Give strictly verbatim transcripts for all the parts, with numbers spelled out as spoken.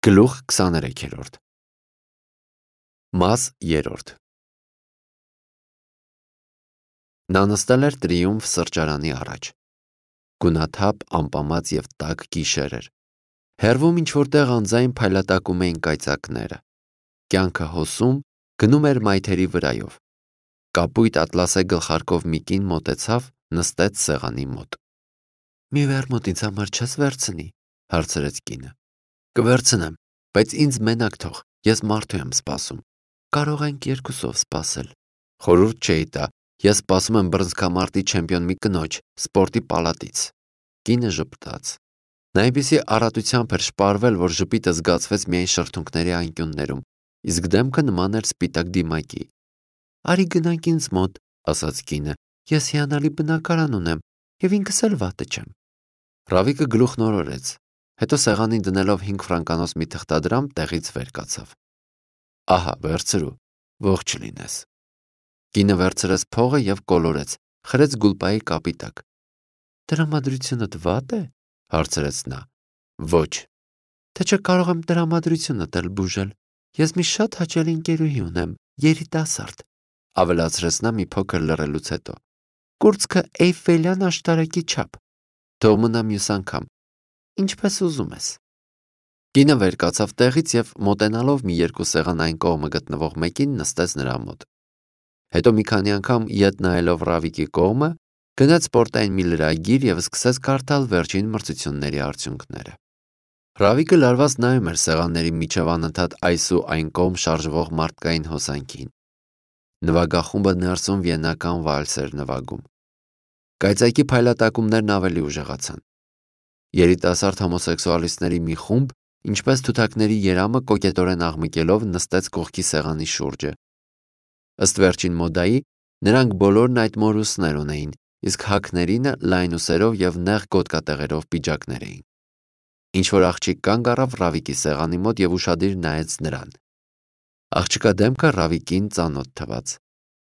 Գլուխ քսաներեքերորդ Մաս երրորդ Նա նստել էր Տրիումֆ սրճարանի առաջ։ Գունաթափ, ամպամած և տաք գիշեր էր։ Հեռվում ինչ-որ տեղ անձայն փայլատակում էին կայծակները։ Կյանքը հոսում, գնում էր մայթերի վրայով։ Կապույտ ատլասե գլխարկով մի կին մոտեցավ, նստեց սեղանի մոտ։ «Մի վերմուտ ինձ համար չես վերցնի», հարցրեց կինը։ «Կվերցնեմ, բայց ինձ մենակ թող, ես մարդու եմ սպասում»։ «Կարող ենք երկուսով սպասել»։ Խորհուրդ չէի տա, ես սպասում եմ բռնցքամարտի չեմպիոն մի կնոջ, սպորտի պալատից։ Կինը ժպտաց։ Նա այնպիսի առատությամբ էր շպարվել, որ ժպիտը զգացվեց միայն շրթունքների անկյուններում, իսկ դեմքը նման էր սպիտակ դիմակի։ «Արի գնանք ինձ մոտ», ասաց կինը, «ես հիանալի բնակարան ունեմ և ինքս էլ վատը չեմ»։ Ռավիկը գլուխն օրորեց, հետո սեղանին դնելով հինգ ֆրանկանոց մի թղթադրամ տեղից վեր կացավ։ «Ահա, վերցրու, ողջ լինես»։ Կինը վերցրեց փողը և կոլորեց, խրեց գուլպայի կապի տակ։ «Տրամադրությունդ վատ է», հարցրեց նա։ «Ոչ»։ «Թե չէ կարող եմ տրամադրությունդ էլ բուժել։ Ես մի շատ հաճելի ընկերուհի ունեմ, երիտասարդ», ավելացրեց նա մի փոքր լռելուց հետո։ «Կուրծքը Էյֆելյան աշտարակի չափ։ Թող մնա մյուս անգամ, ինչպես ուզում ես»։ Կինը վեր կացավ տեղից և մոտենալով մի երկու սեղան այն կողմը գտնվող մեկին նստեց նրա մոտ։ Հետո մի քանի անգամ ետ նայելով Ռավիկի կողմը, գնեց սպորտային մի լրագիր և սկսեց կարդալ վերջին մրցությունների արդյունքները։ Ռավիկը լարված նայում էր սեղանների միջև անընդհատ այս ու այն կողմ շարժվող մարդկային հոսանքին։ Նվագախումբը ներսում վիեննական վալս էր նվագում։ Կայծակի փայլատակումներն ավելի ուժեղացան։ Երիտասարդ հոմոսեքսուալիստների մի խումբ, ինչպես թութակների երամը կոկետորեն աղմկելով, նստեց կողքի սեղանի շուրջը։ Ըստ վերջին մոդայի, նրանք բոլորն այդ մորուսներ ունեին, իսկ հագներինը լայն ուսերով և նեղ գոտկատեղերով պիջակներ էին։ Ինչ-որ աղջիկ կանգ առավ Ռավիկի սեղանի մոտ և ուշադիր նայեց նրան։ Աղջկա դեմքը Ռավիկին ծանոթ թվաց,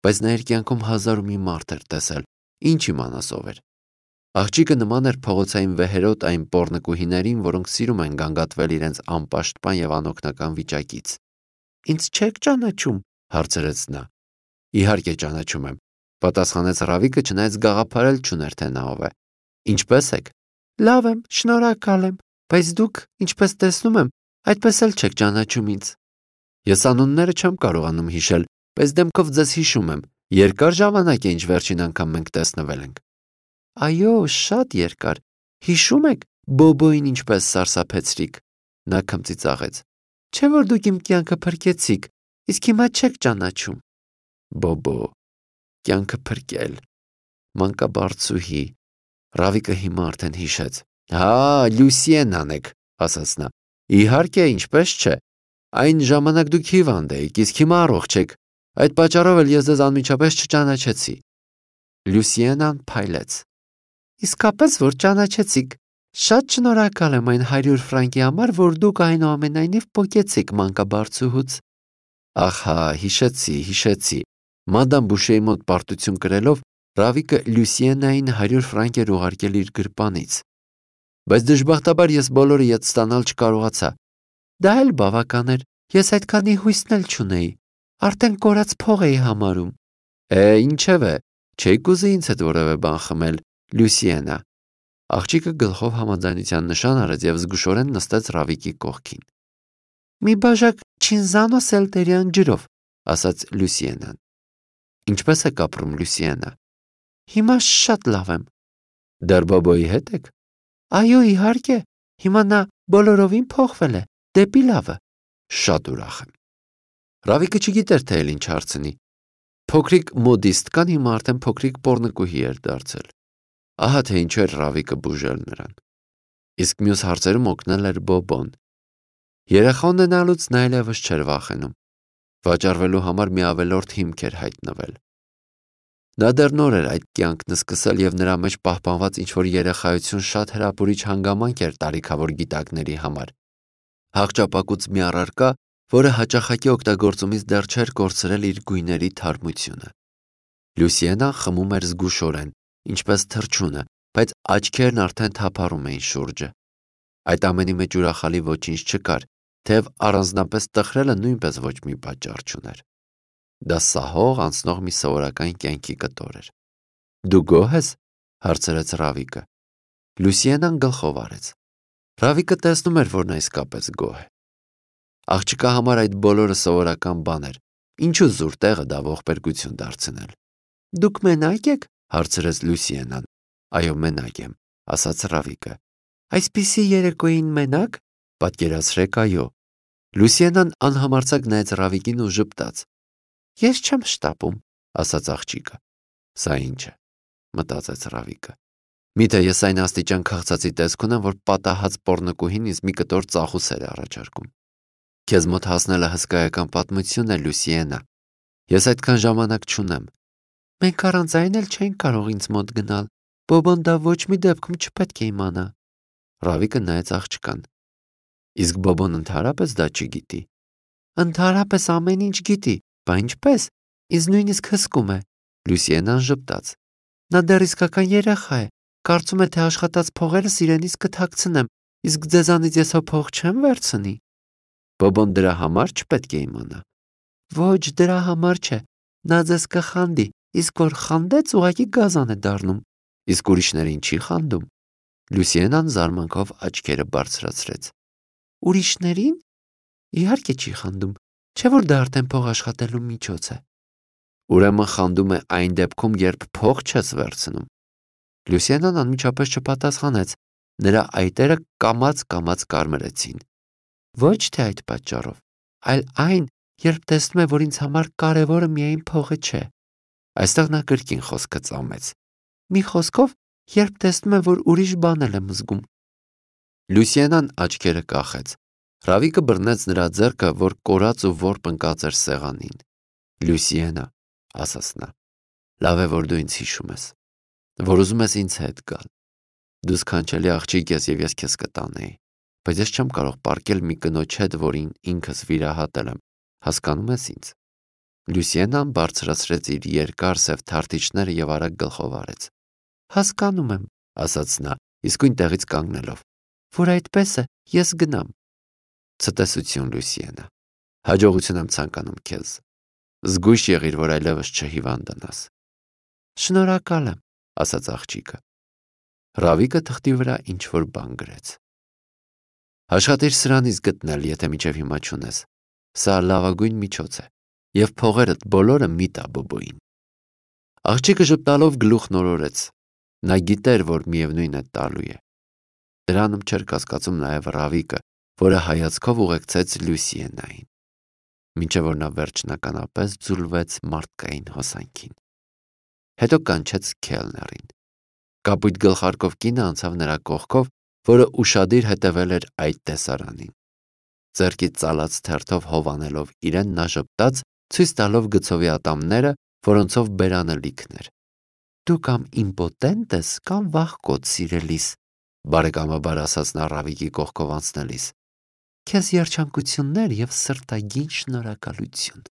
բայց նա իր կյանքում հազար ու մի մարդ էր տեսել, ինչ իմանաս ով էր։ Աղջիկը նման էր փողոցային վեհերոտ այն պոռնկուհիներին, որոնք սիրում են գանգատվել իրենց անպաշտպան և անօգնական վիճակից։ «Ինձ չե՞ք ճանաչում», հարցրեց նա։ «Իհարկե ճանաչում եմ», պատասխանեց Ռավիկը, չնայած գաղափար էլ չուներ, թե նա ով է։ «Ինչպե՞ս եք»։ «Լավ եմ, շնորհակալ եմ, բայց դուք, ինչպես տեսնում եմ, այդպես էլ չեք ճանաչում ինձ»։ «Ես անունները չեմ կարողանում հիշել, բայց դեմքով ձեզ հիշում եմ։ Երկար ժամանակ է, ինչ վերջին անգամ մենք տեսնվել ենք»։ «Այո, շատ երկար։ Հիշում եք Բոբոին ինչպես սարսափեցրիք»։ Նա քմծիծաղեց։ «Չէ՞ որ դուք իմ կյանքը փրկեցիք, իսկ հիմա չեք ճանաչում»։ Բոբո, կյանքը փրկել, մանկաբարձուհի։ Ռավիկը հիմա արդեն հիշեց։ «Հա, Լյուսիենան եք», ասաց նա։ «Իհարկե, ինչպես չէ։ Այն ժամանակ դուք հիվանդ էիք, իսկ հիմա առողջ եք։ Այդ պատճառով էլ ես ձեզ անմիջապես չճանաչեցի»։ Լյուսիենան փայլեց։ «Իսկապես որ ճանաչեցիք։ Շատ շնորհակալ եմ այն հարյուր ֆրանկի համար, որ դուք այնուամենայնիվ պոկեցիք մանկաբարձուհուց»։ Ահա, հիշեցի, հիշեցի։ Մադամ Բուշեի մոտ պարտություն կրելով, Ռավիկը Լյուսիենային հարյուր ֆրանկ էր ուղարկել իր գրպանից։ Բայց դժբախտաբար ես բոլորը ետ ստանալ չկարողացա։ Դա էլ բավական էր, ես այդքանի հույսն էլ չունեի։ Արդեն կորած փող էի համարում։ Է, ինչևէ, չէի կուզի ինձ հետ որևէ բան խմել, Լյուսիենա։ Աղջիկը գլխով համաձայնության նշան արեց և զգուշորեն նստեց Ռավիկի կողքին։ «Մի բաժակ չինզանո սելտերյան ջրով», ասաց Լյուսիենան։ «Ինչպես եք ապրում, Լյուսիենա»։ «Հիմա շատ լավ եմ»։ «Դեռ Բոբոյի հետ եք»։ «Այո, իհարկե, հիմա նա բոլորովին փոխվել է, դեպի լավը»։ «Շատ ուրախ եմ»։ Ռավիկը չգիտեր, թե էլ ինչ հարցնի։ Փոքրիկ մոդիստկան հիմա արդեն փոքրիկ պոռնկուհի էր դարձել։ Ահա թե ինչու էր Ռավիկը բուժել նրան։ Իսկ մյուս հարցերում օգնել էր Բոբոն։ Երեխա ունենալուց նա այլևս չէր վախենում։ Վաճառվելու համար մի ավելորդ հիմք էր հայտնվել։ Նա դեռ նոր էր այդ կյանքն սկսել և նրա մեջ պահպանված ինչ-որ երեխայություն շատ հրապուրիչ հանգամանք էր տարիքավոր գիտակների համար։ Հաղճապակուց մի առարկա, որը հաճախակի օգտագործումից դեռ չէր կորցրել իր գույների թարմությունը։ Լյուսիենան խմում էր զգուշորեն, ինչպես թռչունը, բայց աչքերն արդեն թափառում էին շուրջը։ Այդ ամենի մեջ ուրախալի ոչինչ չկար, թեև առանձնապես տխրելը նույնպես ոչ մի պատճառ չուներ։ Դա սահող անցնող մի սովորական կյանքի կտոր էր։ Դու գոհ ես, հարցրեց Ռավիկը։ Լուսիենան գլխով արեց։ Ռավիկը տեսնում էր, որ նա իսկապես գոհ է։ Աղջկա համար այդ բոլորը սովորական բան էր, ինչու զուր տեղը դա ողբերգություն դարձնել։ Դուք մենակ եք, հարցրեց Լուսիենան։ Այո, մենակ եմ, ասաց Ռավիկը։ Այսպիսի երեկոյին մենակ, պատկերացրեք, այո։ Լուսիենան անհամարձակ նայեց Ռավիկին ու ժպտաց։ Ես չեմ շտապում, ասաց աղջիկը։ Սա ինչ է, մտածեց Ռավիկը։ Միթե ես այն աստիճան քաղցածի տեսք ունեմ, որ պատահած պոռնկուհին ինձ մի կտոր ծախուսեր է առաջարկում։ Քեզ մոտ հասնելը հսկայական պատմություն է, Լուսիենա։ Ես այդքան ժամանակ չունեմ։ Մենք առանց այն էլ չենք կարող ինձ մոտ գնալ։ Բոբոն դա ոչ մի դեպքում չպետք է իմանա։ Ռավիկը նայեց աղջկան։ Իսկ Բոբոն ընդհանրապես դա չգիտի։ Ընդհանրապես ամեն ինչ գիտի, բա ինչպես։ Ինձ նույնիսկ հսկում է։ Լուսիենան ժպտաց։ Նա դեռ իսկական երեխա է։ Կարծում է, թե աշխատած փողերս իրենից կթաքցնեմ, իսկ ձեզանից ես հո փող չեմ վերցնի։ Բոբոն դրա համար չպետք է իմանա։ Ոչ, դրա համար չէ։ Նա ձեզ կխանդի, իսկ որ խանդեց, ուղղակի գազան է դառնում։ Իսկ ուրիշներին չի խանդում։ Լուսիենան զարմանքով աչքերը բարձրացրեց։ Ուրիշներին։ Իհարկե չի խանդում, չէ՞ որ դա արդեն փող աշխատելու միջոց է։ Ուրեմն խանդում է այն դեպքում, երբ փող չես վերցնում։ Լուսիենան անմիջապես չպատասխանեց, նրա այտերը կամաց-կամաց կարմրեցին։ Ոչ թե այդ պատճառով, այլ այն, երբ տեսնում է, որ ինձ համար կարևորը միայն փողը չէ։ Այստեղ նա կրկին խոսքը ծամեց։ Մի խոսքով, երբ տեսնում է, որ ուրիշ բան էլ եմ զգում։ Լուսիենան աչքերը կախեց։ Ռավիկը բռնեց նրա ձեռքը, որ կորած ու որբ ընկած էր սեղանին։ Լուսիենա, ասաց նա, լավ է, որ դու ինձ հիշում ես, որ ուզում ես ինձ հետ գալ։ Դու սքանչելի աղջիկ ես և ես քեզ կտանեի, բայց ես չեմ կարող պառկել մի կնոջ հետ, որին ինքս վիրահատել եմ, հասկանում ես ինձ։ Լուսիենան բարձրացրեց իր երկար սև թարթիչները և արագ գլխով արեց։ Հասկանում եմ, ասաց նա, իսկույն տեղից կանգնելով, որ այդպես է, ես գնամ։ Ցտեսություն, Լուսիենա, հաջողություն եմ ցանկանում քեզ։ Զգույշ եղիր, որ այլևս չհիվանդանաս։ Շնորհակալ եմ, ասաց աղջիկը։ Ռավիկը թղթի վրա ինչ-որ բան գրեց։ Աշխատիր սրանից գտնել, եթե մինչև հիմա չունես։ Սա լավագույն միջոց է, և փողերդ բոլորը մի տա Բոբոյին։ Աղջիկը ժպտալով գլուխ նորորեց։ Նա գիտեր, որ միևնույն է տալու է։ Դրանում չէր կասկածում նաև Ռավիկը, որը հայացքով ուղեկցեց Լուսիենային, մինչև որ նա վերջնականապես ձուլվեց մարդկային հոսանքին։ Հետո կանչեց քելներին։ Կապույտ գլխարկով կինը անցավ նրա կողքով, որը ուշադիր հետևել էր այդ տեսարանին։ Ձեռքից ծալած թերթով հովանելով իրեն նա ժպտաց, ցույց տալով գծովի ատամները, որոնցով բերանը լիքն էր։ Դու կամ իմպոտենտ ես, կամ վախկոտ, սիրելիս, բարեկամաբար ասաց նա Ռավիկի կողքով անցնելիս։ Քեզ երջանկություններ և սրտագին շնորհակալություն։